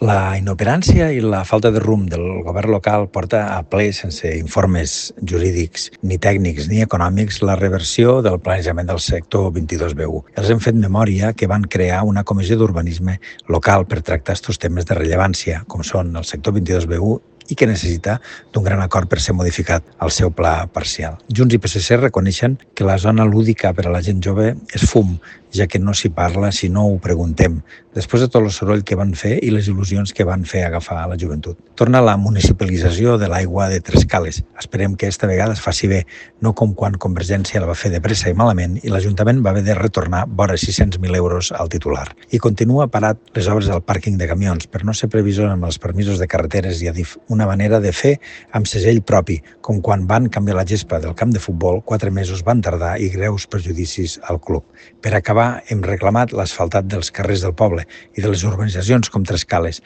La inoperància i la falta de rumb del govern local porta a ple, sense informes jurídics, ni tècnics ni econòmics, la reversió del planejament del sector 22B1. Els hem fet memòria que van crear una comissió d'urbanisme local per tractar aquests temes de rellevància, com són el sector 22B1 i que necessita d'un gran acord per ser modificat al seu pla parcial. Junts i PSC reconeixen que la zona lúdica per a la gent jove és fum, ja que no s'hi parla si no ho preguntem, després de tot el soroll que van fer i les il·lusions que van fer agafar a la joventut. Torna la municipalització de l'aigua de Trescales. Esperem que esta vegada es faci bé, no com quan Convergència la va fer de pressa i malament i l'Ajuntament va haver de retornar vora 600.000 euros al titular. I continua parat les obres del pàrquing de camions per no ser previsor amb els permisos de carreteres i Adif, una manera de fer amb segell propi, com quan van canviar la gespa del camp de futbol, 4 mesos van tardar i greus perjudicis al club. Per acabar, hem reclamat l'asfaltat dels carrers del poble i de les urbanitzacions com Trescales,